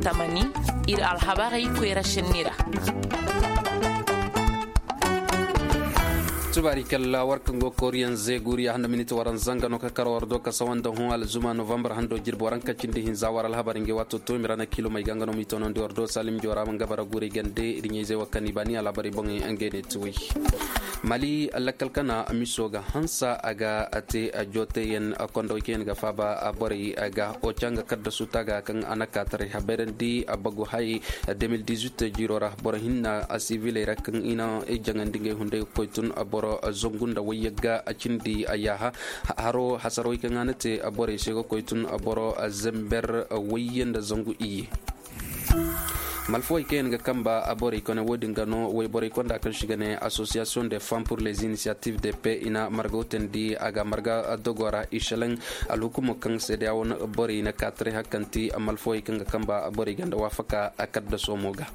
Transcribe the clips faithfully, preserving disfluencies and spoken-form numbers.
Zamani, ir alhabarey koyra senni ra. Tubaari kalla war kaŋ go kooriyaŋ zeeguuriya handa miniti waranza nga no ka kar war do ka sawa nda hõ alzuma novambar hando jirbi waranka cindi hinza war alhabar ngey waato to mira na kiilomey ga nga no m'i toonandi war do salim joora ma nga bara guurey gande ir ɲayzey wo kaŋ i baani alhabarey boŋey ngey ne ti wey. Mali lakkal kana miso ga hansa a ga a te a jooteyaŋ kondawey kaŋ yaŋ ga faaba borey ga oca nga kaddasu taaga kaŋ a na kaataray habayrandi a bagu hay. Deux mille dix-huit jiiro ra boro hinna a siviley ra kaŋ i na i jaŋandi ngey hunday ga koy tun boro zangu nda wayyagga a cindi a yaaha. Haro hasarawey kaŋ a na te borey se ga koy tun boro zember wayye nda zangu iyye. Malfawey kaŋ yaŋ ga kamba a borey kone wo-din ga no wayborey konda kaŋ si ga ne association de femmes pour les initiatives de paix i na marga wutandi a ga marga dogo ra i selaŋ. Alhukumo kaŋ seedeya wane borey na kaataray hakanti malfawey kaŋ ga kamba a borey ganda waafaka a kadda soomo ga.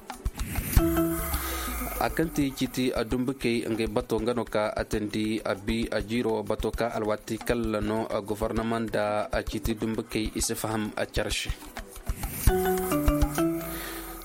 A kaŋ ti ciiti a dumbukey ngey bato nga no ka a tandi a bi a jiiro bato ka alwaati kalla no gofornama nda a ciiti dumbukey i si faham a care se.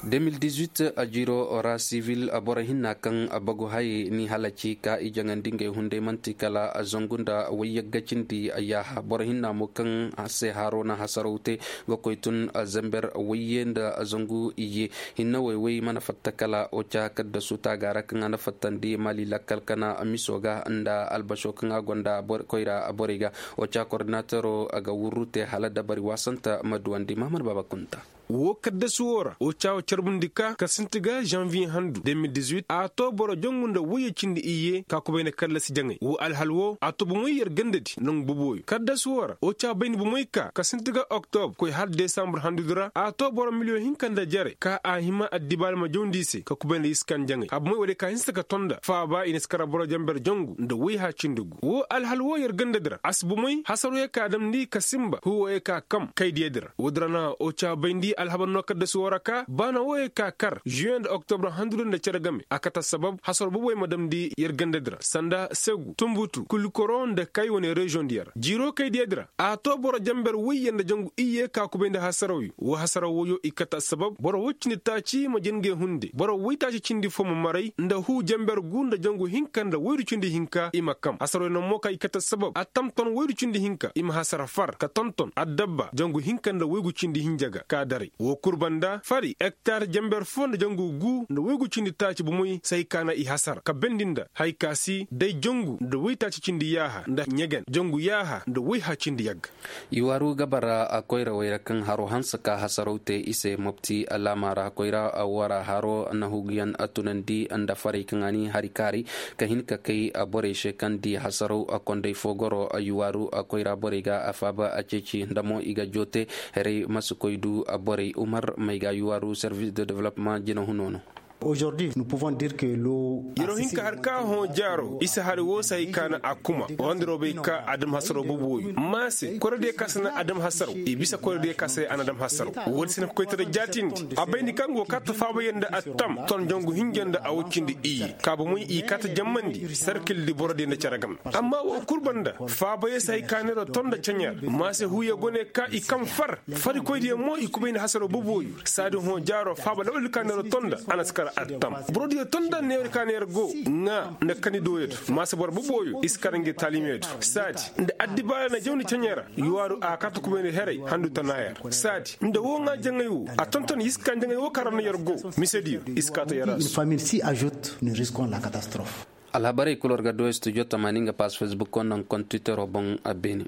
Deux mille dix-huit a jiiro ra sivil boro hinna kaŋ bagu hay ni halaci ka i jaŋandi ngey hunday manti kala zangu nda wayyagga cindi yaaha boro hinna mo kaŋ se haro na hasaraw te ga koy tun zember wayye nda zangu iyye. Hinne woy woy mana fatta kala oca kaddasu taaga ra kaŋ a na fattandi mali lakkal kana miso ga nda albasho kaŋ a gonda koyra borey ga. Oca koordinatero ga wurru te hala dabari waasanta ma duwandi mahamad baaba kunta. Wo kaddasu wo ra oca wo carbundi ka ka sinti ga zanviye handu deux mille dix-huit a to boro jangu nda wayye cindi iyye ka kubay nda kallasi jaŋay wo alhal wo a to bomoy yer gandadi nangu boboyo kaddasu wo ra oca bayndi bomoy ka ka sinti ga oktobre koy hala desambre handudi ra a to boro miliyoŋ hinka nda jare ka a hima addibaali ma jawndi i se ka kubay nda iskan jaŋay a bomoy wo- din ka hinsa ka tonda faaba i na si kara boro jamber jangu nda wayha cindi gu wo alhal wo yer gandadi ra a si bomoy hasaro ye ka damndi ka sinba huwo ye ka kam kaydiyadi ra wo- din ra na oca bayndi alhabar no kaddasu wo ra ka baana wo ye ka kar juwen nda oktobre handudi nda cere game a kate assabab hasaro boboy ma damndi yer gandadi ra sanda segu tunbutu kulkoro nda kay wane reziyoŋ diya ra jiiro kaydiyadi ra a to boro jamber wayye nda jangu iyye ka kubay nda hasaraw yo wo hasaraw woyo i kate assabab boro woy cindi taaci ma jin ngey hunde boro woy taaci cindi fo ma maray nda huu jamber gu nda jangu hinka nda waydu cindi hinka i ma kam hasaraw yo naŋ mo ka i kate assabab a tamton waydu cindi hinka i ma hasara far ka tonton addabba jangu hinka nda waygu cindi hinja ga ka daray wo kul banda fari ektar jamber fo nda jangu gu nda waygu cindi taaci bomoy se hay ka na i hasara ka bendi nda hay ka si day jangu nda waytaaci cindi yaaha nda ɲegen jangu yaaha nda wayha cindi yagga. I waaru ga bara koyrawey ra kaŋ haro hanse ka hasaraw te i se mopti alaama ra koyra wara haro na huguyaŋ tunandi nda farey kaŋ a ni hari kaaray ka hin ka kay borey se kaŋ di hasaraw kondey fo goro i waaru koyra borey ga a faaba a ceeci nda mo i ga joote. Herey ma si koy du borey umar may ga i waaru servis de development jina huno no. Aujourd'hui nous pouvons dire que lo. Yeroo hin ka har ka hõ jaaro isa hari woo se hay ka na a kuma wandiro bay ka adam hasaro bubu woyu ma se koyra diya ka se na adam hasaro i bisa koyra diya ka se a na adam hasaro. Woodi se na koytara jaatindi a bayndi kaŋ go kaata faabayaŋ nda attam ton jangu hinja nda a woy cindi iyye ka bomey i kaata jammandi sarkil di boro diya nda care game. Amma woo kul banda faabayaŋ se hay ka neera tonda caɲa ra ma se huuya gone ka i kam far farikoydiyaŋ mo i kubay nda hasaro bubu woyu saadi hõ jaaro faaba lawal ka neera tonda a na si kar attam. Borodiyo tonda neera ka neera go ŋaa nda kani dooyo do ma se boro bubu woyu i si kar ngi taalimyo do saadi nda addibaara na jawni caɲa ra yuwaaru a kaata kubay nda heray handu tanaaya ra saadi nda woo ŋaa jaŋay woo a tonton i si kaa jaŋay woo kaŋ ra no yer go misediyo i si kaata yer ra. Famil si ajoute ni riskon la katastrof. Alhabarey kul war ga du studio tamaani nga pass facebook konda nga konda twittero boŋ a beene.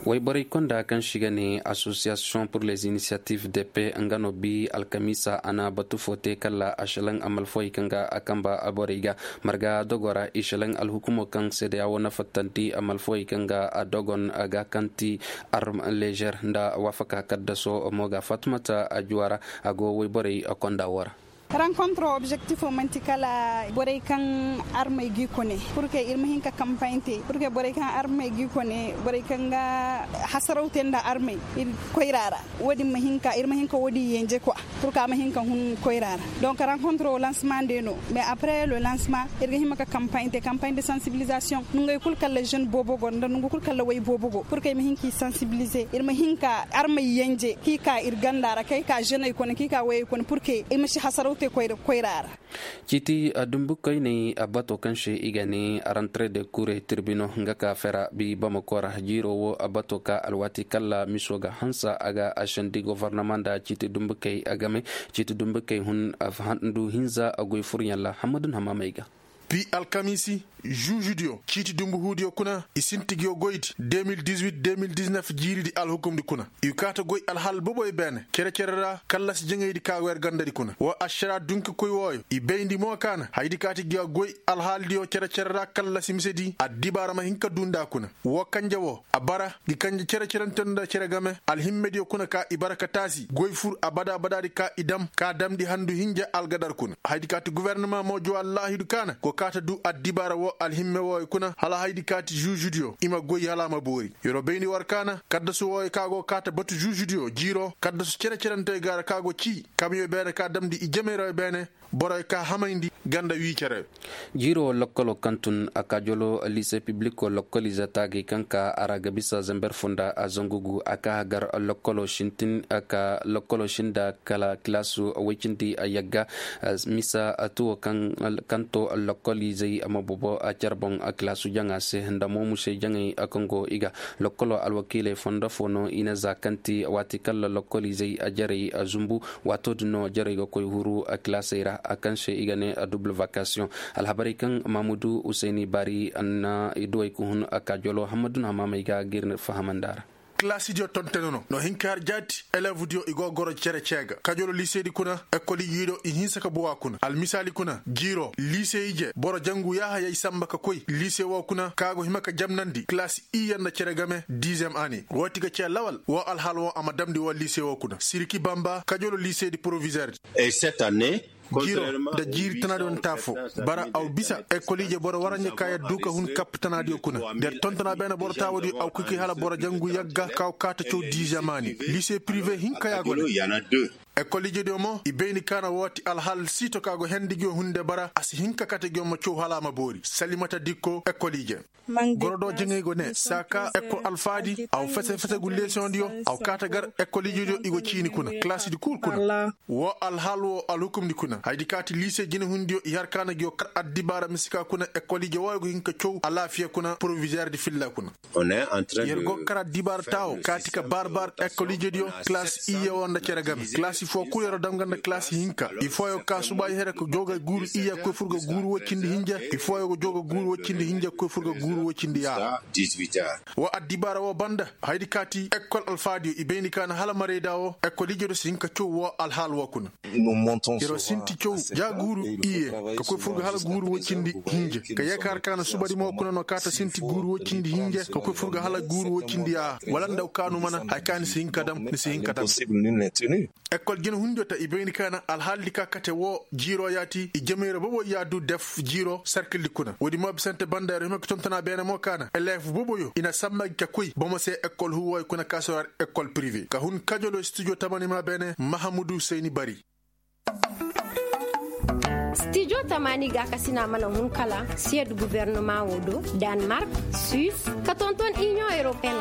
Wayborey konda kaŋ si ga ne association pour les initiatives de paix nga no bi alkamiisa a na batu fo te kala a selaŋ amalfawey kaŋ ga a kamba a borey ga marga dogo ra i selaŋ alhukumo kaŋ seedeya wo na fattandi amalfawey kaŋ ga a dogon ga kaŋ ti arm leger nda waafaka kaddaso mo ga fatumata a juwa ra a go wayborey konda wo ra. Rankontro objektifo man'ti kala borey kaŋ armey g'i kone, purke ir ma hin ka kampaaɲ te purke borey kaŋ armey g'i kone, borey kaŋ ga hasaraw te nda armey ir koyra ra. Wo- din ma hin ka ir ma hin ka wo- din yenje kwa, purke a ma hin ka hun koyra ra. Donk rankontro lansema nde no. Mais apres le lansema, ir ga hima ka kampaaɲ te kampaaɲ de sansibilizasiyoŋ, nongey kul kalla žen boobo go nda nongu kul kalla woy boobo go purke i ma hin k'i sansibilize, ir ma hin ka armey yenje k'i ka ir ganda ra kay ka ženey kone k'i ka woyey kone purke i ma si hasaraw te koyra ra. Ciiti dumbukoyney bato kaŋ se i ga ne rantre de kure tirbino nga ka fera bi bamako ra jiiro wo bato ka alwaati kalla miso ga hansa a ga a sendi gofornama nda ciiti dumbukey game. Ciiti dumbukey hun handu hinza goy furyaŋ ra hamadun hamaamey ga. Pi alkamiisi, žuužudiyo ciiti dumbu huudiyo kuna i sinti nguyo goydi de mil dizuwit de mil diznef jiiridi alhukumdi kuna. I kaata goy alhal boboyo beene cere-cere ra kallasi jaŋaydi ka go yer gandadi kuna woo ašaraa dunkakoy wooyo i bayndi mo kaana hayadi kaati nguyo goy alhaaldiyo cere-cere ra kallasi misedi addibaara ma hin ka duu nda kuna. Woo kanje woo a bara ngi kanje cere-cerante nda cere game alhimmediyo kuna ka i bara ka taasi goy fur abada-abadaadi ka i dam ka damndi handu hinja algadar kuna hayadi kaati gofornama mo juwaa laahidu kaana go kaata duu addibaara woo alhimme wooyo kuna hala hayadi kaati žuužudiyo i ma goy hala a ma boori. Yer'o bayndi war kaana kaddasu wooyo ka go kaata batu žuužudiyo jiir'o kaddasu cere-cerante ga ra ka go cii kamiyo beene ka damndi i jemeyrayoo beene boroyo ka hamayndi ganda wii cere. Jiir'o lokkoloo kaŋ tun a kaajoloo lise piblikoo lokkoliize taagay kaŋ ka a ra ga bisa zember foo nda a zangu gu a ka hagar lokkoloo sintin ka lokkoloo sinda kala kilaasu woy cindi yagga. Misa tuwo kaŋ to lokkoliizey ma bobo care boŋ kilaasu jaŋa se nda mo musey jaŋey kaŋ go i ga lokkoloo alwakiiley fondo foo no i na za kaŋ ti waati kalla lokkoliizey jarey zumbu. Waato din no jarey ga koy huru kilaasey ra kaŋ se i ga ne duble vakasiyoŋ. Alhabarey kaŋ mamudu husayni bari na i duwey ka hun kaajoloo hamadun hamaamey ga ga ir fahamandi a ra. Kilaasidiyo tontone no no hin ka har jaati eleevdiyo i go goro cere cee ga kajolo liiseedi kuna ekol ije do i hinsa ka bowa kuna almisaali kuna jiiro liise ije boro jangu yaaha yay samba ka koy liise woo kuna ka go hima ka jamnandi kilaasi iyye nda cere game diizem ane woo ti ga cee lawal woo alhaal woo a ma damndi woo liise woo kuna siriki bamba kajolo liiseedi porovizeerdi. Jiiro nda jiiri tanaadiyo nda taafo bara aw bisa ekoliije boro waranja ka yaddu ka hun kapp tanaadiyo kuna. Nda yer tontona beene boro taawadiyo aw kaki hala boro jangu yagga ka go kaata caw diizemaani. Liise pirive hinka ya go ne. Ekoliijediyo mo i bayndi kaana woo ti alhal siito ka go hendi ngiyo hunde bara a si hin ka kate ngiyo ma caw hala a ma boori salimata dikko ekoliije. Goro do jaŋay go ne saa ka ekol alfaadi aw fese-fese gu leesiyoŋdiyo aw kaata gar ekoliijediyo i go ciini kuna kilaasidi kul kuna. Woo alhaal woo alhukumdi kuna hayadi kaati liise jinehundiyo i har kaana ngiyo kar addibaara mise ka kuna ekoliije wooyo go hin ka caw alaafiya kuna porovizeerdi filla kuna. Yer go kar addibaara taawo kaati ka baar-baar ekoliijediyo kilaasi iyye woo nda cere game kilaasi foo kul yer'o dam ga nda kilaasi hinka i fooyo ka subaay here ka joo ga guuru iyye ka koy fur ga guuru woy cindi hinja i fooyo ga joo ga guuru woy cindi hinja ka koy fur ga guuru woy cindi yaaha. Woo addibaara woo banda hayadi kaati ekol alfaadiyo i bayndi kaana hala marayda woo ekoliijediyo si hin ka caw woo alhaal woo kuna. Yer'o sinti caw ja guuru iyye ka koy fur ga hala guuru woy cindi hinja ka yee ka har kaana subadi mo kuna no kaata sinti guuru woy cindi hinja ka koy fur ga hala guuru woy cindi yaaha wala nda kaanu mana haya ka ni si hin ka dam ni si hin ka dam. Ekol jinehundiyo ta i bayndi kaana alhaaldi ka kate woo jiiro yaati i jamayra bobo yaadu def jiiro sarkildi kuna woodi mo bisante banda yer'o hima ka tontona beene mo kaana eleef boboyo i na samba gi ka koy bomo se ekol huwooyo kuna ka si war ekol pirive ka hun kajolo studio tamani ma beene mahamudu seyni bari. Stijo tamaani gaakasina mana hun kala siyed gubernama wo do, danmark, suis, ka tonton inion europeen.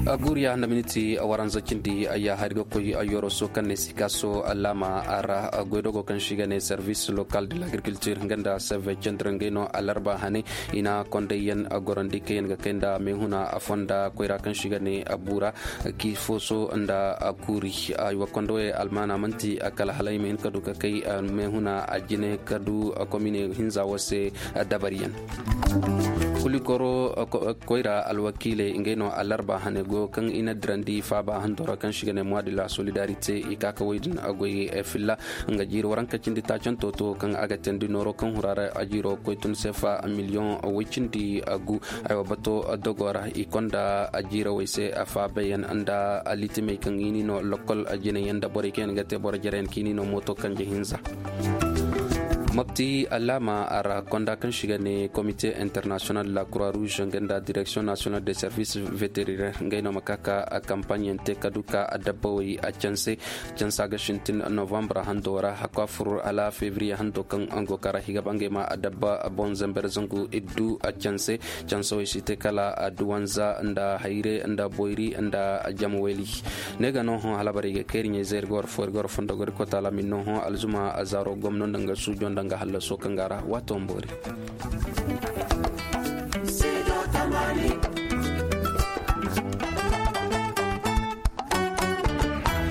Guuriya nda miniti waranza cindi ayya hari ga koy yoroso kaŋ ne sikaso laama ra. Goydogo kaŋ si ga ne service local de l'agriculture nga nda seve cendere ngay no alarba hane i na kondayyaŋ gorandi kaŋ yaŋ ga kay nda meehuna fonda koyra kaŋ si ga ne buura. Ki foso nda kuuri ay wa kondo ye almaana manti kala halay ma hin ka du ka kay meehuna a jine ka du komine hinza wo se. Dabariyaŋ kulikoro koyra alwakiiley ngey no alarba hane. Go kaŋ i na dirandi faaba handora kaŋ si ga ne muwaadi la solidarite i ka ka woy din a goy filla. Nga jiiri waranka cindi taacanto to kaŋ a ga teendi nooro kaŋ huraara a jiiro koy tun sefa miliyoŋ woy cindi gu. Aywa bato dogo ra i konda a jiirawey se a faabayaŋ nda litimey kaŋ i ni no lokkol jinayaŋ nda borey kaŋ yaŋ ga te boro jarayaŋ kaŋ i ni no mooto kanje hinza. Mopti alaama a ra konda kaŋ si ga ne komite international de la croix rouge nga nda direction nationale des services vétérinaire ngey no ma ka ka kampaɲe yaŋ te ka du ka adabbawey a canse. Cansa ga sintin novembre hando ra hakku a fur hala février hando kaŋ go kara higa bangey ma adabba boŋ zamber zangu iddu a canse. Cansawey si te kala duwanza nda hayre nda boyri nda jamweli. Ne ga no hõ halabarey ga kayri ɲey zayri ga war fo ir ga war fondo gori kota lamin no hõ alzuma a zaaro gomno nda nga suujo nda nga hallaso kaŋ ga ra waato mboori.